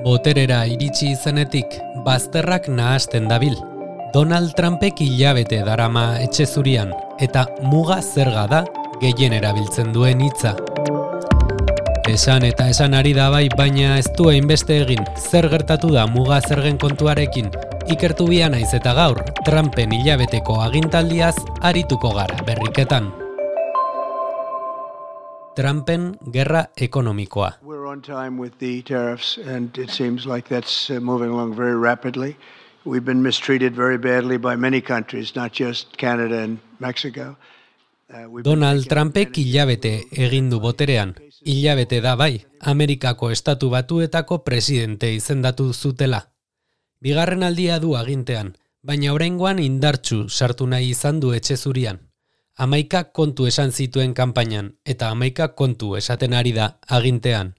Boterera iritsi izenetik, bazterrak nahasten dabil. Donald Trumpek hilabete darama etxe zurian, eta muga zerga da gehien erabiltzen duen hitza. Esan eta esan ari da bai, baina ez du hainbeste egin, zer gertatu da muga zergen kontuarekin. Ikertu bia naiz eta gaur, Trumpen hilabeteko agintaldiaz arituko gara berriketan. Trumpen gerra ekonomikoa. We're on time with the tariffs, and it seems like that's moving along very rapidly. We've been mistreated very badly by many countries, not just Canada and Mexico. Donald Trumpek hilabete egin du boterean. Hilabete da bai, Amerikako Estatu Batuetako presidente izendatu zutela. Bigarren aldia du agintean, baina oraingoan indartsu sartu nahi izan du etxe zurian. 11 kontu esan zituen kanpainan, eta 11 kontu esaten ari da agintean.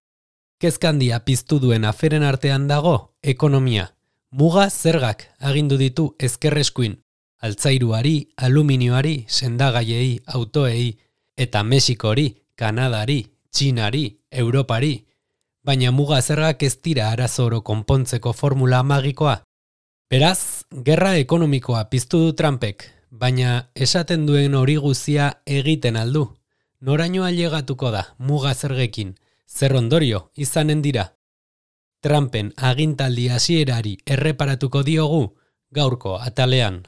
Kezkandia piztu duen aferen artean dago, ekonomia. Muga zergak agindu ditu ezkerreskuin, altzairuari, aluminioari, sendagaiei, autoei, eta Mexikori, Kanadari, Txinari, Europari. Baina muga zergak ez dira arazo oro konpontzeko formula magikoa. Beraz, gerra ekonomikoa piztu du Trumpek, baina esaten duen hori guzia egiten aldu. Noraino ailegatuko da muga zergekin, zer ondorio izanen dira. Trumpen agintaldi hasierari erreparatuko diogu gaurko atalean.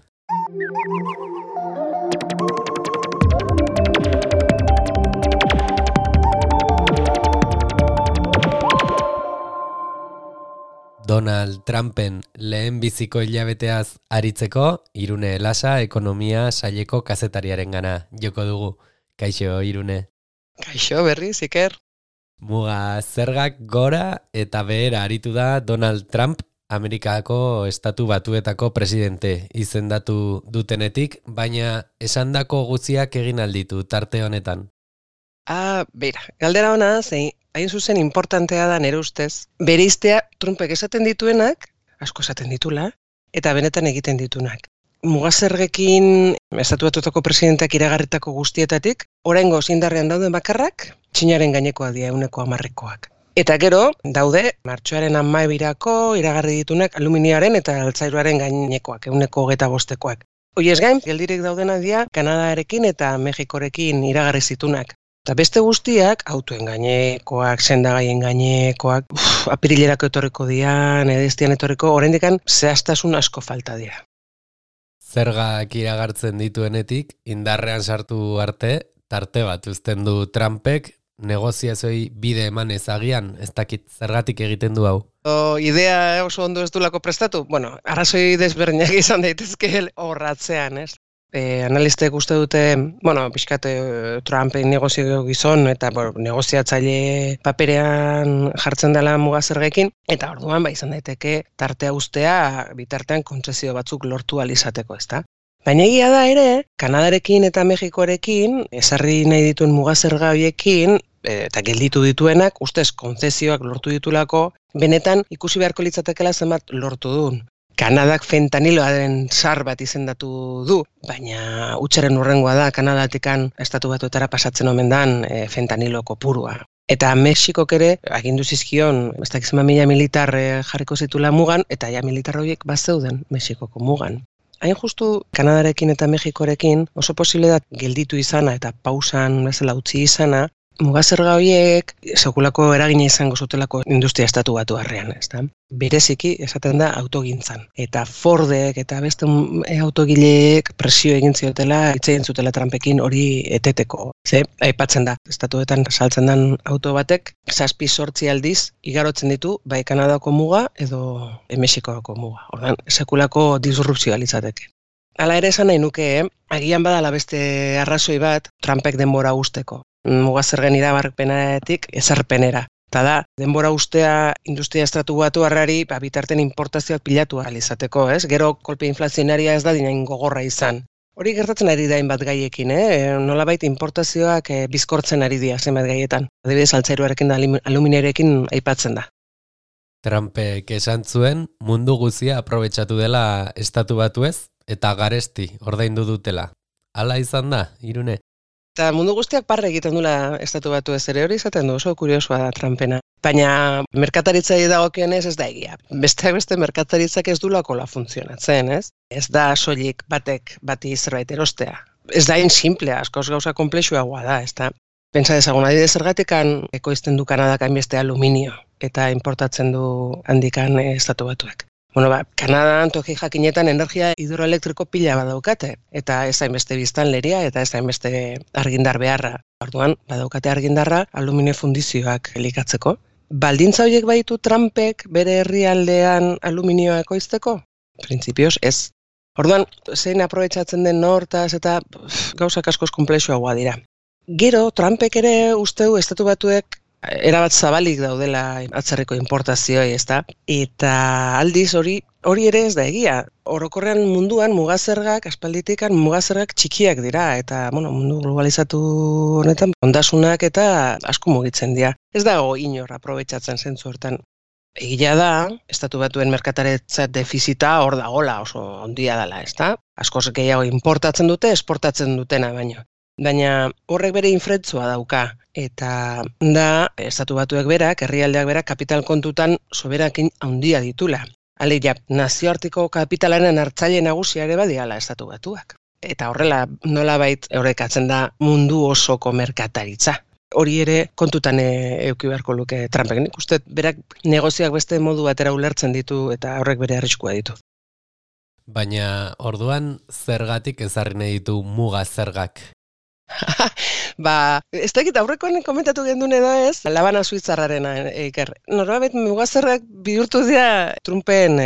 Donald Trumpen lehenbiziko hilabeteaz aritzeko, Irune Elasa ekonomia saileko kazetariarengana joko dugu. Kaixo, Irune. Kaixo, berriz, Iker. Muga zergak gora eta behera aritu da Donald Trump, Amerikako Estatu Batuetako presidente izendatu dutenetik, baina esandako guztiak egin alditu tarte honetan. Beira, galdera hona, hain zuzen importantea da nere ustez, bereiztea Trumpek esaten dituenak, asko esaten ditula, eta benetan egiten ditunak. Mugazergekin Estatu Batuetako presidenteak iragarritako guztietatik, oraingoz indarrean dauden bakarrak, Txinaren gainekoa dira 10%. Eta gero, daude, martxoaren 12 iragarri ditunak aluminioaren eta altzairuaren gainekoak, 25%. Hoiez gain, geldirik daudena dira Kanadarekin eta Mexikorekin iragarri zitunak. Eta beste guztiak, autoen gainekoak, sendagaien gainekoak, apirilerako etorriko dian, ediztian etorriko, oraindikan zehaztasun asko falta dira. Zergak iragartzen dituenetik, indarrean sartu arte, tarte bat uzten du Trumpek, negoziazoi bide eman ezagian, ez dakit zergatik egiten du hau. Idea oso ondo ez dulako prestatu? Bueno, arrazoi desberdinak izan daitezke horratzean, ez? Analistek uste dute, pixkat Trumpen negozio gizon eta negoziatzaile paperean jartzen dela mugazergekin, eta orduan izan daiteke tartea ustea bitartean kontzesio batzuk lortu ahal izateko, ezta? Baina egia da ere, Kanadarekin eta Mexikorekin, ezarri nahi dituen mugazerga horiekin, eta gelditu dituenak, ustez kontzezioak lortu ditulako, benetan ikusi beharko litzatekela zenbat lortu duen. Kanadak fentaniloaren sar bat izendatu du, baina hutsaren hurrengoa da Kanadatikan Estatu Batuetara pasatzen omen dan fentanilo kopurua. Eta Mexikok ere agindu zizkion, ez dakiz mila militar jarriko zitula mugan, eta ja militar horiek bazeuden Mexikoko mugan. Hain justu Kanadarekin eta Mexikorekin oso posible da gelditu izana eta pausan bezala utzi izana, mugazerga horiek sekulako eragina izango zutelako industria estatu batuarrean, ezta? Bereziki esaten da autogintzan. Eta Fordek eta beste autogileek presio egin ziotela, hitz egin zutela Trumpekin hori eteteko. Aipatzen da, estatuetan saltzen den auto batek, 7-8 aldiz igarotzen ditu, bai Kanadako muga edo Mexikoko muga. Ordan, sekulako disrupzioa litzateke. Hala ere esan nahi nuke, agian badala beste arrazoi bat Trumpek denbora usteko. Mugazergen iragarpenetik ezarpenera. Eta da, denbora ustea industria estatu batuarrari bitarten importazioak pilatu ahal izateko, ez? Gero kolpe inflazionaria ez da dinain gogorra izan. Hori gertatzen ari da hainbat gaiekin, nolabait importazioak bizkortzen ari dira zenbat gaietan. Adibidez, altzairuarekin da aluminioarekin aipatzen da. Trumpek esan zuen mundu guzia aprobetxatu dela Estatu Batuez eta garesti ordaindu dutela. Hala izan da, Irune? Eta mundu guztiak parre egiten dula Estatu Batuez ere hori izaten du, oso kuriosoa da Trumpena. Baina merkataritzari dagokionez ez da egia. Besteak beste merkataritzak ez dulakola funtzionatzen, ez? Ez da soilik batek bati zerbait erostea. Ez da simplea, askoz gauza konplexuagoa da, ez da? Pentsa dezagun, adibidez zergatikan ekoizten du Kanadak hainbeste aluminio eta importatzen du handikan Estatu Batuak. Kanadan toki jakinetan energia hidroelektriko pila badaukate, eta ez hainbeste biztanleria eta ez hainbeste argindar beharra. Orduan, badaukate argindarra aluminio fundizioak elikatzeko. Baldintza horiek baitu Trumpek bere herrialdean aluminioa ekoizteko? Printzipioz ez. Orduan, zein aprobetxatzen den nortaz eta gauzak askoz konplexuagoa dira. Gero, Trumpek ere usteu Estatu Batuek erabat zabalik daudela atzerriko importazioi, ezta? Eta aldiz hori ere ez da egia. Orokorrean munduan mugazergak, aspalditikan mugazergak txikiak dira, eta mundu globalizatu honetan ondasunak eta asko mugitzen dira. Ez dago inor aprobetxatzen zentzu hortan. Egia da, Estatu Batuen merkataritza defizita hor dagola, oso handia dela, ezta? Askoz gehiago importatzen dute, esportatzen dutena baino. Baina horrek bere infrentzua dauka, eta da Estatu Batuek berak, herrialdeak berak kapital kontutan soberakin handia ditula. Alegia, nazioarteko kapitalaren hartzaile nagusia ere badiala Estatu Batuak. Eta horrela nolabait orekatzen da mundu osoko merkataritza. Hori ere kontutan eduki beharko luke Trumpek. Nik uste berak negozioak beste modu batera ulertzen ditu eta horrek bere arriskua ditu. Baina orduan zergatik ezarri nahi ditu muga zergak? Ez dakit aurrekoen komentatu gendun edo ez, Labana Suitzarrarena, Iker. Norbait mugazerrak bihurtu dira Trumpen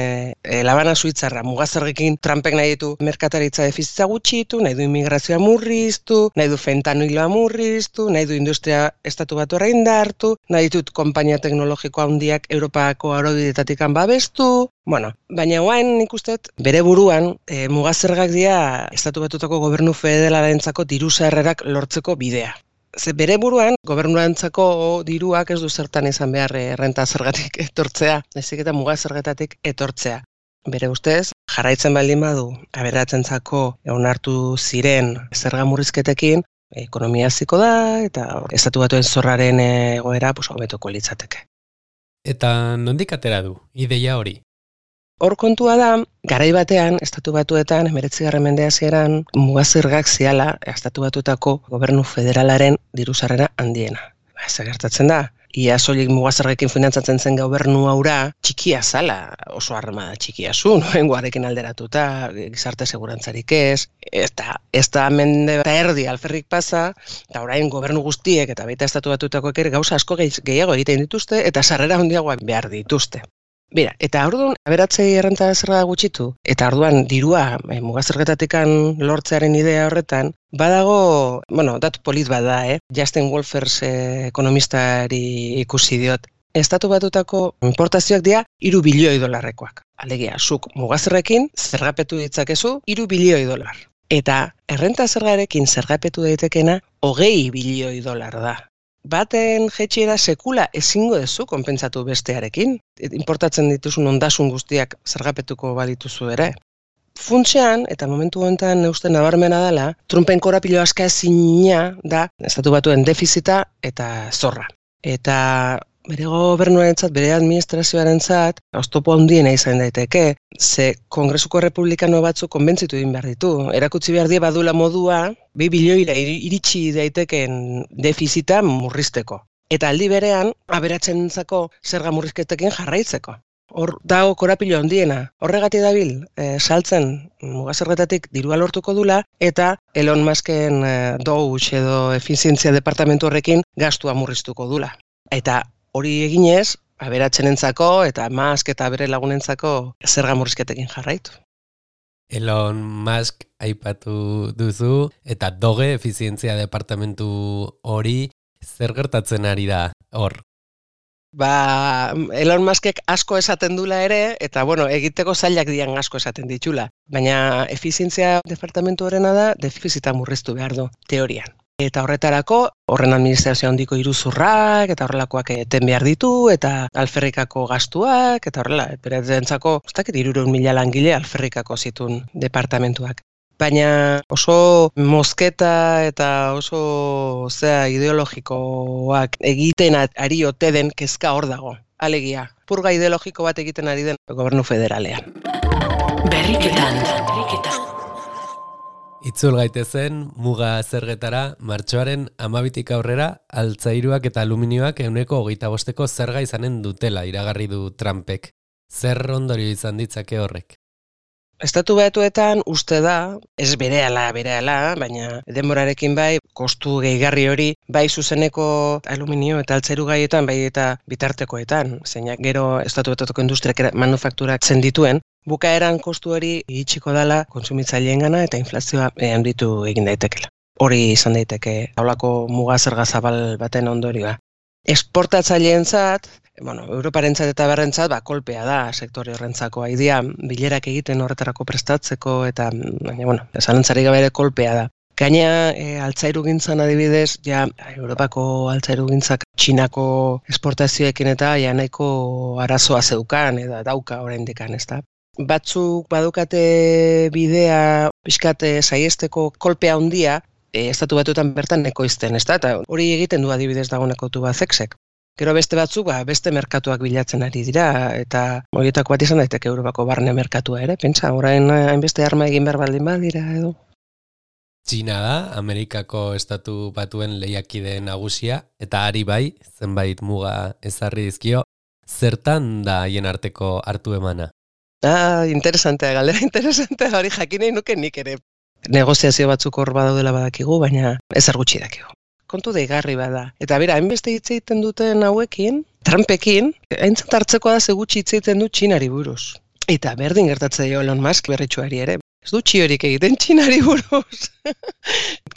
Labana Suitzarra. Mugazerrekin Trumpek nahi ditu merkataritza defizitza gutxitu, nahi du immigrazioa murriztu, nahi du fentaniloa murriztu, nahi du industria Estatu Batuarra indartu, nahi ditut konpainia teknologiko handiak Europako arauditetatik babestu. Baina guain nik uste bere buruan mugazergak dira Estatu Batutako gobernu federalentzako diru sarrerak lortzeko bidea. Ze bere buruan gobernuantzako diruak ez du zertan izan behar errenta zergatik etortzea, ezik eta mugazergetatik etortzea. Bere ustez, jarraitzen baldin badu, aberatzentzako onartu ziren zerga murrizketekin, ekonomia haziko da eta Estatu Batuen zorraren egoera hobetuko litzateke. Eta nondik atera du, ideia hori? Hor kontua da, garai batean, Estatu Batuetan, 19. mende hasieran, mugazergak ziala Estatu Batuetako gobernu federalaren diru-sarrera handiena. Ez gertatzen da, ia soilik mugazergekin finantzatzen zen gobernu haura txikia zala, oso armada txikia zu, noengoarekin alderatuta, gizarte segurantzarik ez da mende eta erdi alferrik pasa, eta orain gobernu guztiek eta baita Estatu Batuetakoek ere gauza asko gehiago egiten dituzte eta sarrera handiagoak behar dituzte. Bera, eta orduan aberatzei errenta zerga gutxitu, eta orduan dirua mugazergetatikan lortzearen idea horretan, badago, datu polit bada, Justin Wolfers ekonomistari ikusi diot. Estatu Batutako importazioak dira 3 bilioi dolarrekoak. Alegia, zuk mugazerrekin zergapetu ditzakezu 3 bilioi dolar. Eta errenta zergarekin zergapetu daitekena 20 bilioi dolar da. Baten jetxiera sekula ezingo dezu konpentsatu bestearekin. Importatzen dituzun ondasun guztiak zergapetuko badituzu ere. Funtsean, eta momentu honetan neuste nabarmena dela, Trumpen korapilo aska ezina da Estatu Batuen defizita eta zorra. Eta bere gobernuarentzat, bere administrazioarentzat, oztopo handiena izan daiteke, ze Kongresuko Republikano batzuk konbentzitu egin behar ditu. Erakutsi behar die badula modua, 2 bilioira iritsi daiteken defizita murrizteko. Eta aldi berean, aberatzentzako zerga murrizketekin jarraitzeko. Hor dago korapilo handiena. Horregatik dabil, saltzen mugazergetatik dirua lortuko dula, eta Elon Musken Doge edo efizientzia departamentu horrekin gastua murriztuko dula. Eta hori eginez, aberatzenentzako eta Musk eta bere lagunentzako zerga murrizketekin jarraitu. Elon Musk aipatu duzu eta Doge efizientzia departamentu hori zer gertatzen ari da hor? Elon Muskek asko esaten dula ere, eta egiteko zailak dian asko esaten ditula. Baina efizientzia departamentu horrena da, defizita murriztu behar du, teorian. Eta horretarako, horren administrazio handiko iruzurrak, eta horrelakoak eten behar ditu, eta alferrikako gastuak, eta horrela, beretzako, 300.000 langile alferrikako zituen departamentuak. baina oso mozketa eta oso ideologikoak egiten ari ote den kezka hor dago. Alegia, purga ideologiko bat egiten ari den gobernu federalean. Berriketan. Itzul gaitezen muga zergetara martxoaren 12tik aurrera altzairuak eta aluminioak 25% zerga izanen dutela iragarri du Trumpek. Zer ondorio izan ditzake horrek? Estatu Batuetan uste da, ez berehala, baina denborarekin bai, kostu gehigarri hori, bai zuzeneko aluminio eta altzairu gaietan, bai eta bitartekoetan, zeinak gero Estatu Batuetako industriak manufakturak dituen, bukaeran kostu hori itxiko dela kontsumitzailengana eta inflazioa handitu egin daitekela. Hori izan daiteke holako muga zerga zabal baten ondorioa. Esportatzaileentzat, Europarentzat eta berrentzat, kolpea da sektore horrentzako idea, bilerak egiten horretarako prestatzeko eta zalantzari gabe ere kolpea da. Gaina altzairugintzan adibidez, Europako altzairugintzak Txinako esportazioekin eta nahiko arazoa zeukan eta dauka oraindikan, ezta. Batzuk badukate bidea pixkat saiesteko kolpea handia, Estatu Batuetan bertan ekoizten, ezta? Eta hori egiten du adibidez dagoeneko Tubacexek. Gero beste batzuk, beste merkatuak bilatzen ari dira, eta horietako bat izan daiteke Europako barne merkatua ere, pentsa, orain hainbeste arma egin behar baldin badira edo. Txina da, Amerikako Estatu Batuen lehiakide nagusia, eta ari bai, zenbait muga ezarri dizkio, zertan da haien arteko hartu emana? Interesantea, galdera interesantea, hori jakin nahi nuke nik ere. Negoziazio batzuk hor badaudela badakigu, baina ezer gutxi dakigu. Kontu deigarri bada. Eta bera, hainbeste hitz egiten duten hauekin, Trumpekin, aintzat hartzeko da ze gutxi hitz egiten du Txinari buruz. Eta berdin gertatzen dio Elon Musk berritxuari ere. Ez du txiorik egiten Txinari buruz.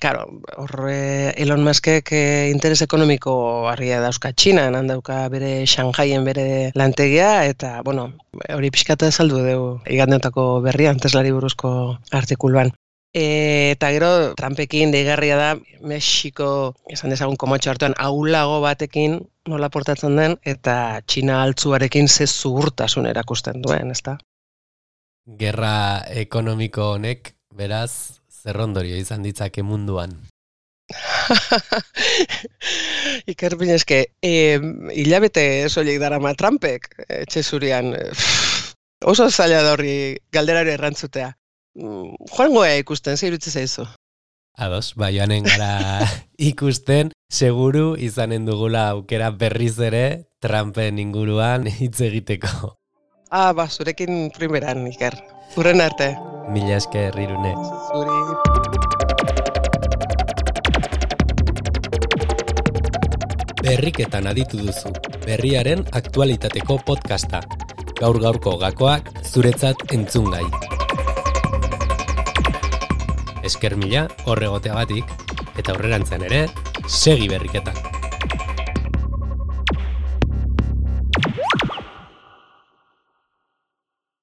Karo, horre Elon Muskek interes ekonomiko harria dauzka Txinan, handauka bere Shanghaien bere lantegia, eta, hori pixkata azaldu dugu igandetako berrian, Teslari buruzko artikuluan. Eta gero, Trumpekin deigarria da, Mexiko, esan dezagun komotxo hartuan, ahulago batekin nola portatzen den, eta Txina altzuarekin ze zuhurtasun erakusten duen, ezta? Gerra ekonomiko honek, beraz, zer ondorio izan ditzake munduan? Ikerpin eske, hilabete soilik darama Trumpek, etxe zurian, oso zaila da horri galderari errantzutea. Joangoa ikusten, ze iruditzen zaizu? Ados, joanen gara ikusten, seguru izanen dugula aukera berriz ere Trumpen inguruan hitz egiteko. Zurekin primeran, Iker. Urren arte. Mila esker, Irune. Zuri. Berriketan aditu duzu, berriaren aktualitateko podcasta. Gaur-gaurko gakoak zuretzat entzungai. Esker mila horregoteagatik, eta aurrerantzen ere, segi berriketan.